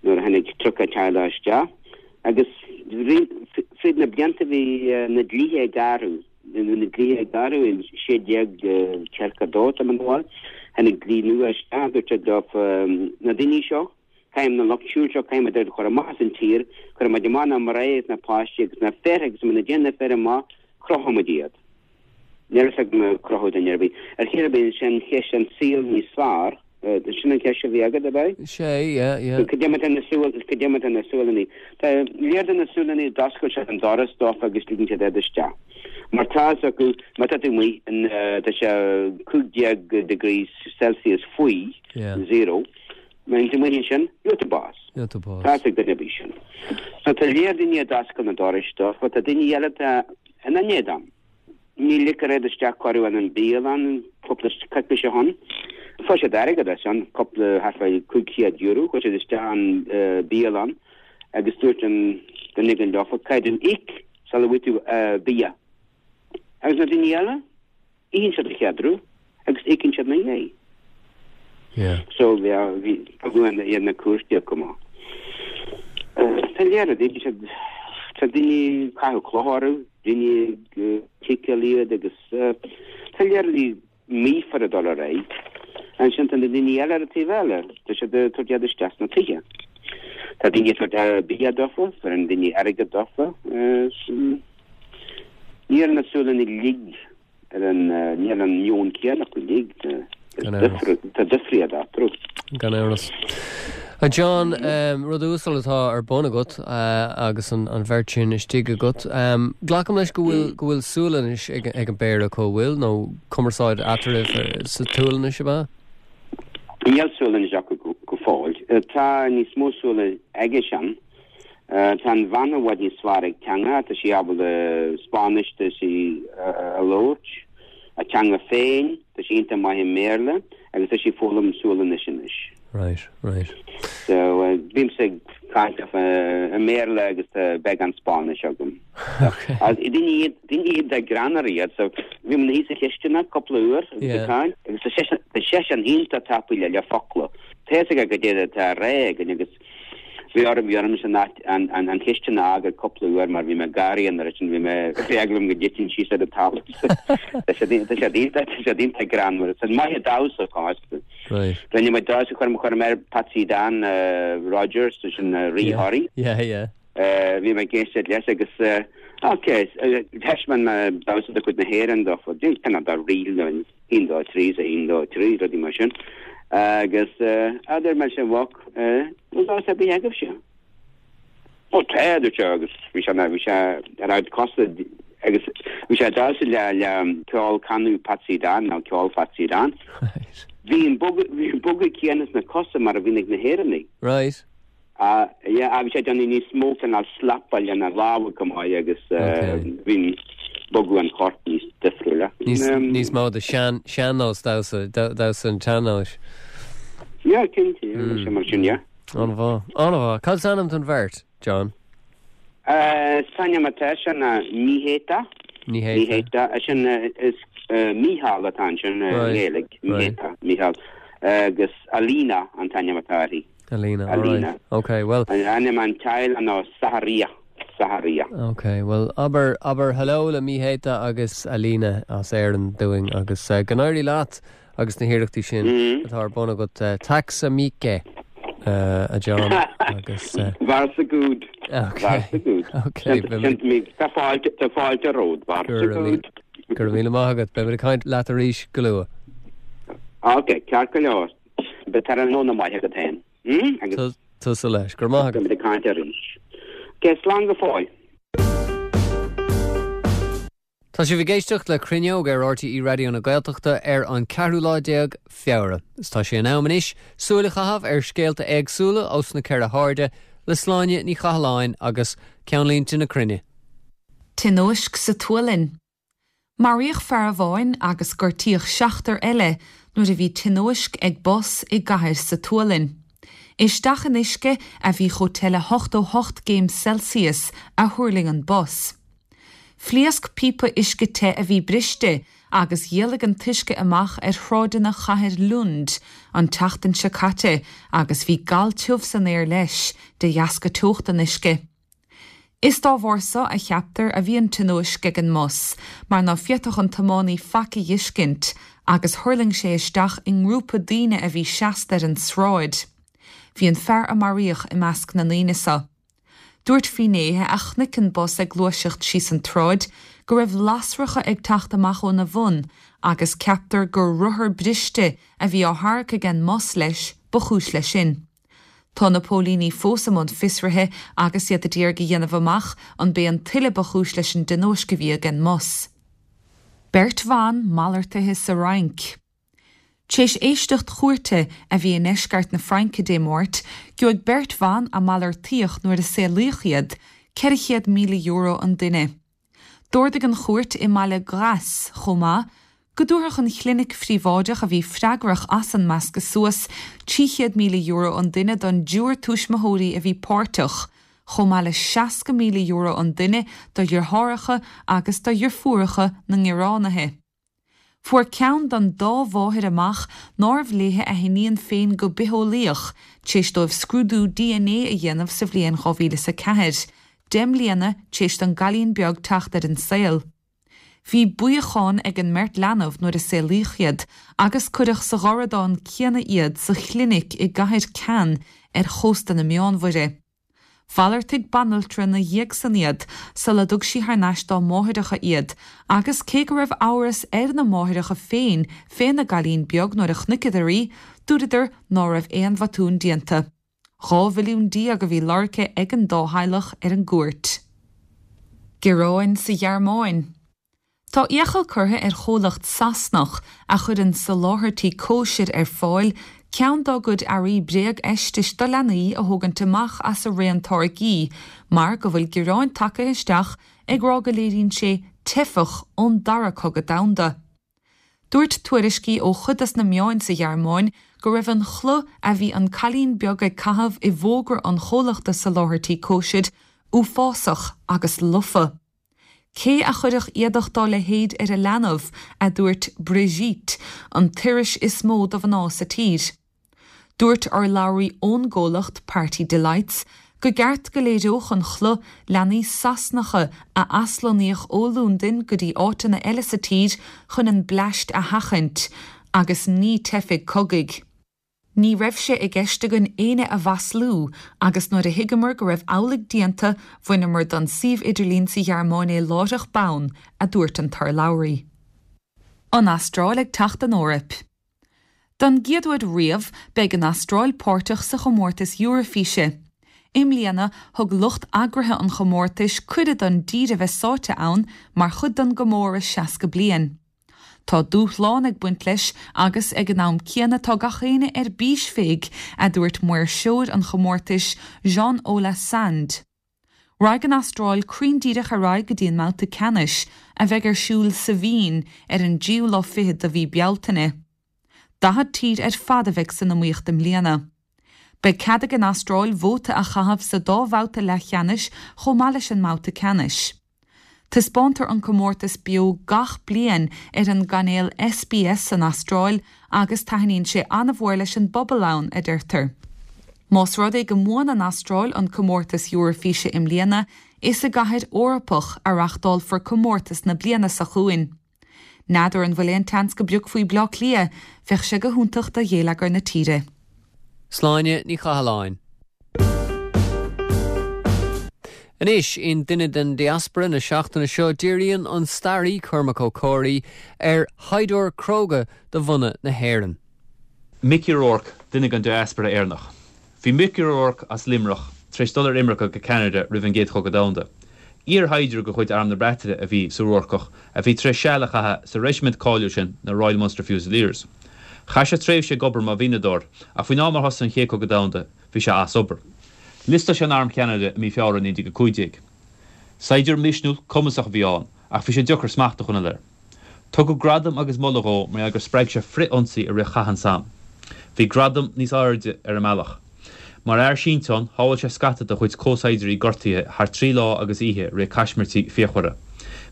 nuair a tháinig tríocha teaghlach isteach. Agus fríd na blianta bhí na dlíthe ag athrú na dlíthe ag athrú in sé déag tríocha dó tá an bhil tháinig dlí nua isteach dúirt siad leo na daoine seo caithfidh na lucht siúil seo caithfidh iad a chur amach as an tír chur amach na mná is na páistí agus na fir agus muna dtéann na fir amach crochfaimid iad. Níl a crochadh duine ar bith. Ar chéir bíonn sin cheist an saol níos fearr, sin an ceist a bhí agat ab ea? Sé yeah, yeah. Cad é na Sual cad é na Sualannaigh. Tá lear de na Sualannaigh d'oscail siad an doras dófa agus ligeann siad iad isteach. Mar tá acu má tá tú amuigh tá sé cúig déag degrees Celsius faoi Yeah. zero. Má tú amuigh sin gheobhaidh tú bás. Gheobhaidh tú bás. Tá ag duine bí sin. So tá lear daoine a d'oscail na dorais dófa, tá daoine eile tá ina n-éadan. Ní ligtear iad isteach cuireadh an bialann cúpla coicís ó shin. Fuair siad airgead as an cúpla thart fá cúig chéad euro, chuir siad isteach an bialann agus dúirt an duine éigin leofa caithfidh tú íoc sula bhfaighidh tú bia. Agus na daoine eile itheann siad a chéad agus íocann siad ina dhiaidh. Yeah. So bhí bhí iad na cúirte cumá. Tá lear daoine siad tá daoine caitheamh clocha orthu, daoine ciceáil iad agus tá lear mífar a dul ar aghaidh. Ansin tá na daoine eile ar an taobh eile, tá siad ag tabhairt iad isteach sna tithe. Tá daoine ag tabhairt bia dófa, fuair daoine airgead dófa. Níl na Sualannaigh uilig ar an níl an meon céanna acu uilig. Tá difríocht eatarthu. Gan amhras. A John, um, rud uasal atá ar bun agat uh, agus an, an bheirt sin istigh agat. Um, Glacaim leis go bhfuil go bhfuil Sualainnis ag, ag an bpéire acu bhfuil nó cumarsáid eatarthu sa tSualainnis ab ea? Níl Sualainnis acu go, go fóill. Tá níos mó Sualainnis aigesean. Uh, tá an bhean i bhfad níos fearr ag teanga, tá sí ábalta Spáinnis tá sí uh, a labhairt, a teanga féin, tá sí iontach maith i mBéarla, agus tá sí ag foghlaim Sualainnis anois. Right, right. So uh, bímse ag caint uh, i mBéarla agus uh, beagán Spáinnis agam. Okay. Daoine iad daoine iad de greannmhar iad, so bhí mé thíos sa chisteanach cúpla uair agus Yeah. ag caint, agus tá seisean- tá seisean iontach tapaidh le le focla. Tá a go dé tá ré agus bhí orm bhí orm san an an an chisteanach a fhágáil cúpla uair mar bhí mé ag gáirí an sin bhí mé eagla orm go dtitfinn síos ar an talamh. Tá sé tá sé iontach tá sé iontach greannmhar, san maith damhsa fosta. Right. Rinne mé damhsa chuir chuir mé Patsy Dan uh, Rogers sin uh, Rí Yeah. Thoraí. Yeah, yeah. Uh, bhí mé ag éisteacht leis agus uh, ok thaispeáin mé damhsa de chuid na hÉireann dó din ken da rí an un dó trí a un dó trí rudaí mar sin agus uh, dúirt mé sin bhach damhsa bí agaibh se. Ó tá sé agus bhí sé bhí sé ar cosa agus bhí sé damhsa le le ceol canú Patsy Dan nó ceol Patsy Dan. Right. Bhí an bogadh céanna sna cosa mar a bhí ag na hÉireannaigh. Right. Uh, yeah, bhí sé déanamh níos mó an slapáil lena lámha go maith agus Okay. bhí bogadh an choirp níos difriúla. Níos níos mó de sean sean-nós damhsa damhsa an tsean-nóis. Ja, cinnte mm. mar sin ja. An-mhaith. An-mhaith. Cad is ainm don bheirt, John? Uh, Sanja atá sin na Míhéta Ní hé. Míhéta sin is uh, Mícheál atá sin Right. Gaeilge Míhéta Mícheál agus Alina an t-ainm atá uirthi. Alina. all Alina. right. Okay, well, An ainm an teaghlaigh ná Saharia Saharia. okay, well abair abair hello le Míhéta agus Alina as Éirinn dúinn agus uh, go n-éirí leat agus na hiarrachtaí sin Mm. atá ar bun agat uh, tack så mycket uh, a John agus uh, Varsågod. okay. Varsågod. Okay, Tá fáilte tá fáilte romhat varsågod. Gur mí maigad be kaint leat arís go luath. Ok, ceart go leor. Betar nó maith agat féin. Mm? Agus Tusa leis, gur maith beimid ag caint arís. Ok, slán go fóill. Tá sibh ag éisteacht le Cruinneog ar RTÉ Raidió na Gaeltachta ar an ceathrú lá déag Feabhra. Is tá sé in am anois súil a chaitheamh ar scéalta éagsúla ós na ceithre hairde le Sláine Ní Chathalláin agus ceannlínte na cruinne. Tionóisc sa tSualainn. Maraíodh fear amháin agus gortaíodh seachtar eile nuair a bhí tionóisc ag bus i gcathair sa tSualainn. Isteach in uisce a bhí chomh te le hochtó hocht gcéim Celsius a thuirling an bus. Phléasc píopa uisce te a bhí briste agus dhéalaigh an t-uisce amach ar shráideanna chathair Lund an tseachtain seo caite agus bhí gal tiubh san aer leis de dheasca teocht an uisce. Is dá bharr seo a cheaptar a bhí an tionóisc ag an mbus, mar ná féadfadh an tiománaí faic a fheiscint agus thuirling sé isteach i ngrúpa daoine a bhí seasta ar an tsráid. Bhí an fear a maraíodh i measc na ndaoine seo. Dúirt finnéithe a chonaic an bus ag gluaiseacht síos an tsráid go raibh lasracha ag teacht amach óna bhun agus ceaptar gur rothar briste a bhí á tharrac ag an mbus leis ba chúis leis sin. Tá na póilíní fós i mbun fiosraithe agus iad ag iarraidh a dhéanamh amach an b'é an tuile ba chúis leis an dtionóisc a bhí ag an mbus. Beirt bhan malartaithe sa Fhrainc. Tar éis éisteacht chúirte a bhí i ndeisceart na Fraince Dé Máirt, gheobhaidh beirt bhan a malartaíodh nuair a saolaíodh iad, ceithre chéad míle euro an duine. D'ordaigh an chúirt i mbaile Grasse chomh maith, go dtabharfadh an chlinic phríobháideach a bhí freagrach as an meascadh suas trí chéad míle euro an duine don dtriúr tuismitheoirí a bhí páirteach, chomh maith le seasca míle euro an duine do dheartháireacha agus do dheirfiúracha na ngearánaithe. Fuair ceann den dá mháthair amach nárbh léi a hiníon féin go bitheolaíoch, tar éis dóibh scrúdú DNA a dhéanamh sa bhliain dhá mhíle is a ceathair, deich mbliana tar éis don gcailín beag teacht ar an saol. Bhí buíochán ag an mbeirt leanbh nuair a saolaíodh iad agus cuireadh sa gharradán céanna iad sa chlinic i gcathair Cannes ar chósta na Meánmhuire. Mhalartaigh banaltra ina dhiaidh san iad sula dtug sí thar n-ais dá máithreacha iad, agus cé go raibh amhras ar na máithreacha féin féna gcailín beag nuair a chonaiceadar í, dúradar ná raibh aon bhotún déanta. Dhá mhilliún déag a bhí lorgtha ag an dá theaghlach ar an gcúirt. Gearáin sa Ghearmáin. Tá iachall curtha ar chomhlacht Sasanach a chuireann soláthairtí cóisir ar fáil ceann dá gcuid earraí bréagfheistis do leanaí a thógaint amach as a raon táirgí mar go bhfuil gearáin tagtha isteach ag rá go léiríonn sé teifeach ón Dara Cogadh Domhanda. Dúirt tuairiscí ó chuid des na meáin sa Ghearmáin go raibh an chulaith a bhí an cailín beag ag caitheamh i bhfógra an chomhlachta soláthairtí cóisir uafásach agus lofa. Cé a chuirfeadh éadach dá leithéid ar a leanbh, a dúirt Brigitte, an t-iris is mó do mhná sa tír. Dúirt urlabhraí ón gcomhlacht Party Delights go gceart go léireodh an chulaith leanaí Sasanacha a aslonnaíodh ó Londain go dtí áiteanna eile sa tír chun an bleaist a sheachaint, agus ní teifigh cogaidh. Ní raibh sé i gceist againn éinne a mhaslú agus nuair a thuigeamar go raibh amhlaidh déanta, bhaineamar den suíomh idirlín sa Ghearmáin é láithreach bonn, a dúirt an t-urlabhraí. An Astráil ag teacht don Eoraip. Don gcéad uair riamh, beidh an Astráil páirteach sa chomórtas Eoraifíse. I mbliana, thug lucht eagraithe an chomórtais cuireadh don dtír a bheith sáite ann mar chuid den gcomóradh seasca bliain. Tá dúshlán ag baint leis agus ag an am céanna tá gach éinne ar bís fé, a dúirt maoirseoir an chomórtais Jon Ola Sand. Raghaidh an Astráil cruinn díreach ar aghaidh go dtí an mbabhta ceannais, a bheidh ar siúl sa Vín ar an dtríú lá fichead de mhí Bealtaine. Daichead tír ar fad a bheidh san iomaíocht i mbliana. Beidh cead ag an Astráil vóta a chaitheamh sa dá bhabhta leathcheannais chomh maith leis an mbabhta ceannais. Taispeántar an comórtas beo gach bliain ar an gcainéal SBS san Astráil agus taitníonn sé an-mhór leis an bpobal ann, a deirtear. Más rud é go mbuann an Astráil an comórtas Eoraifíse i mbliana, is i gcathair Eorpach a reáchtálfar comórtas na bliana seo chugainn. N'fheadar an bhfuil aon tseans go bpiocfaí Bleá Cliath, bheadh sé go hiontach do gheilleagar na tíre. Sláine Ní Chathalláin. Anois, in Duine den Diaspora na seachtaine seo díríonn an staraí Cormac Ó Comhraí ar shaighdiúir cróga de bhunadh na hÉireann. Mickey O'Rourke, duine den diaspora Éireannach. Bhí Mickey O'Rourke as Luimneach tar éis dul ar imirce go Ceanada roimh an gCéad Chogadh Domhanda. Iar-shaighdiúir de chuid Arm na Breataine a bhí sa Ruarcach a bhí tar éis seal a chaitheamh sa reisimint cáiliúil sin, na Royal Munster Fusiliers. Chaith sé tréimhse ag obair mar mhianadóir ach faoin am ar thosaigh an Chéad Chogadh Domhanda bhí sé as obair. Liostáil sé in Arm Cheanada i mí Feabhra naoi déag a cúig déag. Saighdiúir misniúil, cumasach a bhí ann, ach bhí sé deacair smacht a choinneáil air. Tugadh gradam agus moladh dhó mar gheall gur spreag sé frith-ionsaí i rith Chath an Somme. Bhí gradam níos airde ar an mbealach. Mar fhear sínteáin, shábháil sé scata dá chuid comhshaighdiúirí gortaithe thar trí lá agus oíche i rith caismirtí fíochmhara.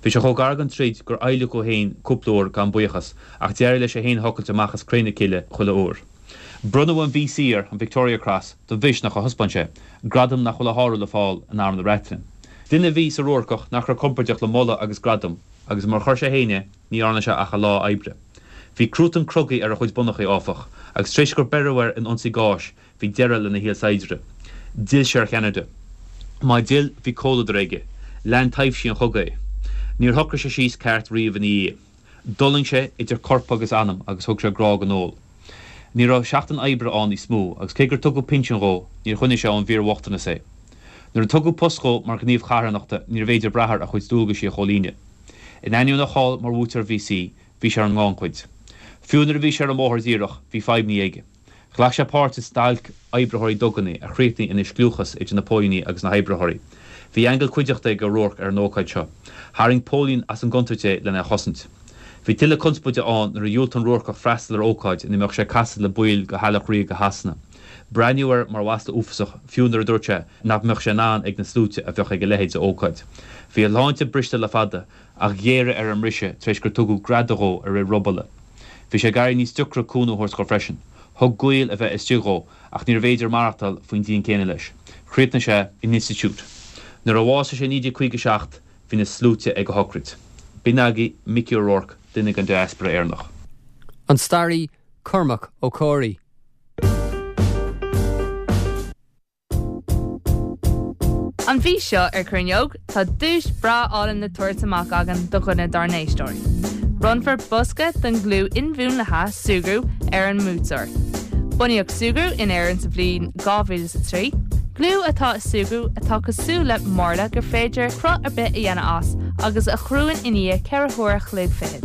Bhí sé chomh gar don troid gur adhlacadh é féin cúpla uair gan buíochas, ach d'éirigh leis é féin a thochailt amach as cré na cille chuile uair. Bronnadh an VC air, an Victoria Cross, don mhisneach a thaispeáin sé, gradam nach bhfuil a shárú le fáil in Arm na Breataine. Duine a bhí sa Ruarcach nach raibh compordach le moladh agus gradam, agus mar a chuir sé féin é, ní dhearna sé ach a lá oibre. Bhí cruatan crogaill ar a chuid bonnachaí, áfach, agus tar éis gur beireadh air in ionsaí gáis, bhí deireadh lena shaol saighdiúra. D'fhill sé ar Cheanada. Má d'fhill, bhí comhluadar aige. Lean taibhsí an chogaidh é. Níor shocraigh sé síos ceart riamh ina dhiaidh. D'fhulaing sé idir corp agus anam agus thug sé grá don ól. Ní raibh seachtain oibre ann níos mó agus cé gur tugadh pinsean dhó, níor choinnigh sé ón bhfíorbhochtanas é. Nuair a tugadh post dhó mar ghníomh carthanachta níorbh fhéidir brath air a chuid dualgaisí a chomhlíonadh. In ainneoin a cháil mar bhuaiteoir VC, bhí sé ar an ngannchuid. Fiú nuair a bhí sé ar an mbóthar díreach, bhí fadhbanna aige. Ghlac sé páirt i stailc oibritheoirí duganna a chríochnaigh ina scliúchas idir na póilíní agus na hoibritheoirí. Bhí aingeal cuideachta ag O'Rourke ar an ócáid seo. Tharraing póilín as an gcontúirt é lena chosaint. Bhí tuilleadh conspóide ann nuair a dhiúltaigh an Ruarcach freastal ar ócáid ina mbeadh sé ag casadh le baill de theaghlach ríoga Shasana. Breathnaíodh air mar mhasla uafásach fiú nuair a dúirt sé nach mbeadh sé in ann ag na sluaite a bheadh ag a leithéid de ócáid. Bhí a shláinte briste le fada ach ghéaraigh ar an mbriseadh tar éis gur tugadh greadadh dhó i rith robála. Bhí sé ag éirí níos deacra cúnamh a thabhairt dhó freisin. Thug gaol a bheith istigh dhó ach níorbh fhéidir maireachtáil faoin díon céanna leis. Chríochnaigh sé in institiúid. Nuair a bhásaigh sé i naoi déag caoga a seacht bhí na sluaite ag a shocraid. B'in agaibh Mickey O'Rourke, duine den diaspora Éireannach. An staraí Cormac Ó Comhraí. An mhí seo ar Cruinneog, tá duais breá álainn le tabhairt amach againn do dhuine dár n-éisteoirí. Bronnfar bosca den ghliú inmhúnlaithe Súgradh ar an mbuaiteoir. Bunaíodh Súgradh in Éirinn sa bhliain dhá mhíle is a trí. Gliú atá i Súgradh atá cosúil le marla gur féidir cruth ar bith a dhéanamh as agus a chruann i ndiaidh ceithre huaire a chloig fichead.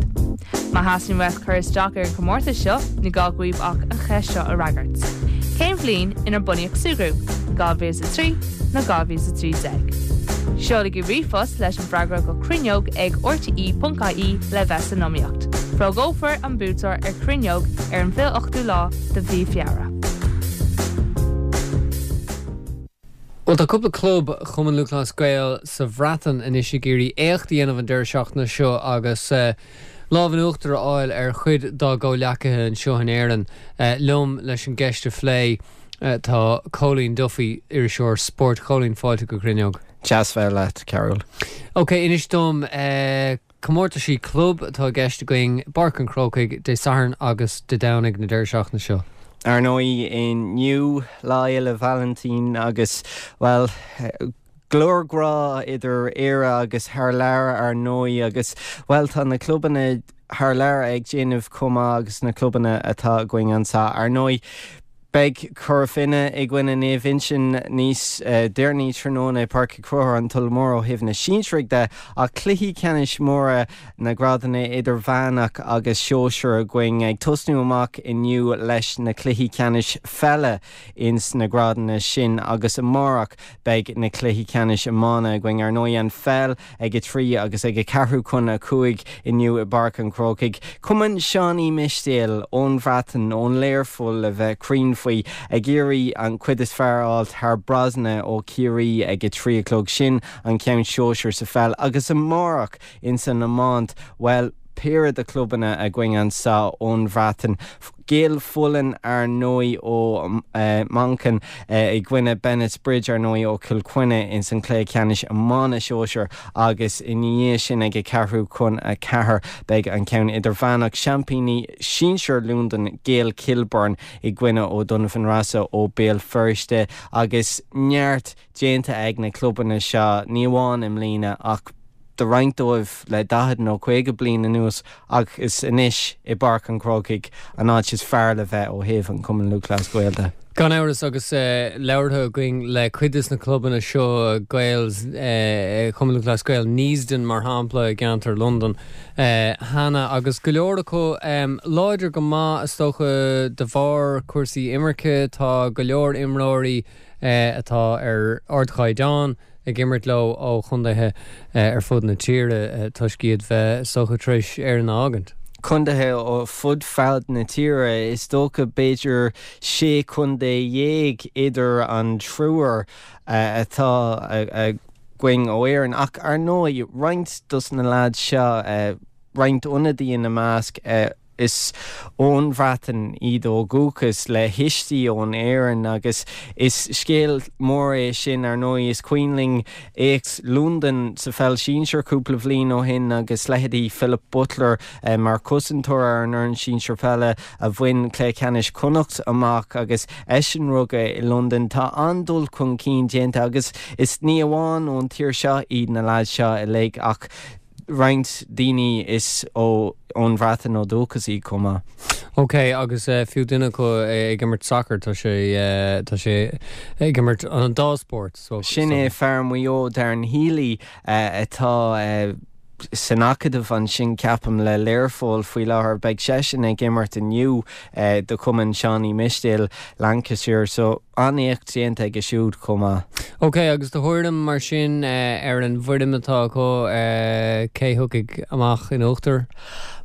Má theastaíonn uait cur isteach ar an chomórtas seo, ní gá daoibh ach an cheist seo a fhreagairt. Cén bhliain inar bunaíodh Súgradh, dhá mhíle is a trí nó dhá mhíle is a trí déag? Seolaigí ríomhphost leis an bhfreagra go cruinneog ag rte.ie le bheith san iomaíocht. Fógrófar an buaiteoir ar Cruinneog ar an bhfiche ochtú lá de mhí Feabhra. Bhuel, tá cúpla club Chumann Lúthchleas Gael sa Bhreatain anois ag iarraidh éacht a dhéanamh an deireadh seachtaine seo agus lámh in uachtar a fháil ar chuid dá gcomhleacaithe anseo in Éirinn. Liom leis an gceist a phlé tá Cóilín Duffy, iriseoir spóirt. Cóilín, fáilte go Cruinneog. Deas bheith leat, Cearbhall. Ok, inis dom, comórtaisí club atá i gceist againn i bPáirc an Chrócaigh Dé Sathairn agus Dé Domhnaigh na deireadh seachtaine seo. Ar ndóigh, inniu Lá Fhéile Vailintín agus, bhuel, go leor grá idir Éire agus thar lear ar ndóigh agus, bhuel, tá na clubanna thar lear ag déanamh chomh maith agus na clubanna atá againn anseo. Ar ndóigh, Beidh Cora Finne i gcoinne Naomh Uinseann níos deireanaí tráthnóna i Páirc Uí Chonchúir, an Tulach Mhór ó thaobh na sinsearaigh de, ach cluichí ceannais móra na ngrádanna idirmheánach agus sóisir againn ag tosnú amach inniu leis na cluichí ceannais pheile ins na grádanna sin agus amárach beidh na cluichí ceannais iomána againn. Ar ndóigh an pheil ag a trí agus ag a ceathrú chun a cúig inniu i bPáirc an Chrócaigh. Cumann Seán Uí Mistéil ón Bhreatain, ón Learpholl le bheith cruinn faoi, ag iarraidh an cuid is fearr a fháilt thar Brosna ó Chiarraí ag a trí a chlog. Sin an ceann sóisir sa pheil. Agus amárach ins an iomáint, bhuel, péire de chlubanna againn anseo ón Bhreatain. Gaeil Fullen ar ndóigh ó Manchain i gcoinne Bennetts Bridge ar ndóigh ó Chill Chainnigh ins an cluiche ceannais iomána sóisir agus ina dhiaidh sin ag a ceathrú chun a ceathair beidh an ceann idirmheánach, seaimpíní sinsir Londain, Gaeil Kilburn i gcoinne O'Donovan Rossa ó Béal Feirste agus neart déanta ag na clubanna seo ní amháin i mbliana ach do roinnt dóibh le daichead nó caoga bliain anuas ach is anois i bPáirc an Chrócaigh an áit is fearr le bheith ó thaobh an Chumann Lúthchleas Gael de. Gan amhras agus labhartha againn le cuid des na clubanna seo, Gaels, Cumann Lúthchleas Gael Neasden mar shampla i gceantar Londan cheana agus go leor acu láidir go maith is dócha de bharr cúrsaí imirce, tá go leor imreoirí atá ar ardchaighdeán ag imirt leo ó chontaetha ar fud na tíre toisc iad bheith is dócha tar éis Éirinn a fhágaint. Contaetha ó fud fad na tíre, is dócha b'fhéidir sé chontae dhéag idir an triúr atá againn ó Éirinn ach ar ndóigh roinnt dos na leaids seo, roinnt ionadaí ina measc, Is ón Bhreatain iad ó dhúchas, le thuistí ón Éirinn, agus is scéal mór é sin, ar ndóigh. Is cuimhin linn éacht Londain sa pheil sinsir cúpla bhliain ó shin agus leithéidí Philip Butler mar chosantóir ar an fhoireann sinsir peile a bhain cluiche ceannais Chonnacht amach agus eisean rugadh i Londain. Tá an-dul chun cinn déanta agus is ní amháin ón tír seo iad na leaids seo uilig ach roinnt daoine is ón Bhreatain ó dhúchas iad chomh maith. Ok, agus fiú duine acu ag imirt sacair, tá sé, tá sé ag imirt an dá spórt, so. Sin é fear Mhaigh Eo, Darren Healy, atá san acadamh ansin, ceapaim, le Learpholl faoi láthair. Beidh seisean ag imirt inniu do chumann Seán Uí Mistéil, Lancashire, so an-éacht déanta aige siúd chomh maith. Ok, agus do thuairim mar sin ar an bhfoirm atá acu, cé thiocfaidh amach in uachtar?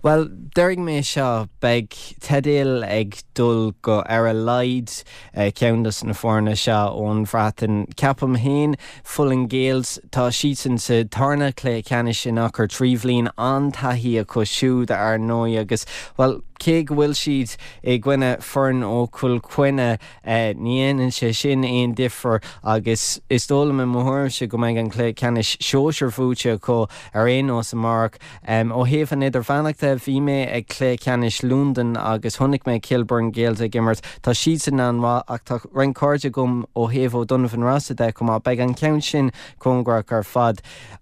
Bhuel, déarfaidh mé seo, beidh teideal ag dul go ar a laghad ceann dos na foirne seo ón Bhreatain. Ceapaim féin, Fullen Gaels, tá siadsan sa tarna cluiche ceannais in achar trí bhliain, an-taithí acu siúd ar ndóigh agus, bhuel, cé go bhfuil siad i gcoinne foireann ó Chill Chainnigh, Ní dhéanann sé sin aon difear agus is dóigh liom i mo thuairimse go mbeidh an cluiche ceannais sóisir buaite acu ar aon nós amárach. Ó thaobh an idirmheánach de, bhí mé ag cluiche ceannais Londain agus chonaic mé Kilburn Gaels ag imirt. Tá siadsan an-mhaith ach tá roinnt cairde agam ó thaobh O'Donovan Rossa de chomh maith. Beidh an ceann sin cóngarach ar fad.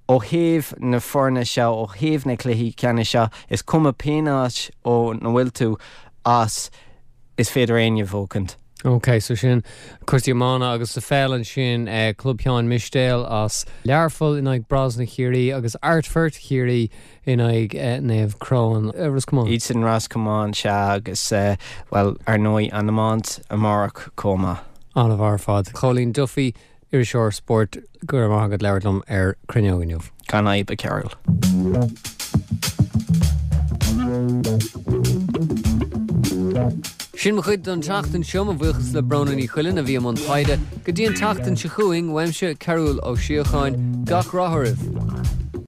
Ó thaobh na foirne seo, ó thaobh na cluichí ceannais seo, is cuma pén áit óna bhfuil tú as, is féidir éinne buachaint. Ok, so sin cúrsaí iomána agus sa pheil ansin eh, Club Sheáin Mistéil as Learpholl in aghaidh Brosna Chiarraí agus Ardfert Chiarraí in aghaidh eh, Naomh Croan eh, Ros Comáin. Iad sin Ros Comáin sea agus eh, well ar ndóigh an iomáint amárach chomh maith. An-mhaith ar fad. Cóilín Duffy, iriseoir spóirt go raibh maith agat labhairt liom ar Cruinneog inniu. Gan fhadhb a Chearúil. Sin mo chuid don tseachtain seo mo bhuíochas le Bróna Ní Chuilinn a bhí i mbun taighde go dtí an tseachtain seo chugainn uaimse Cearúl Ó Síocháin gach rath oraibh.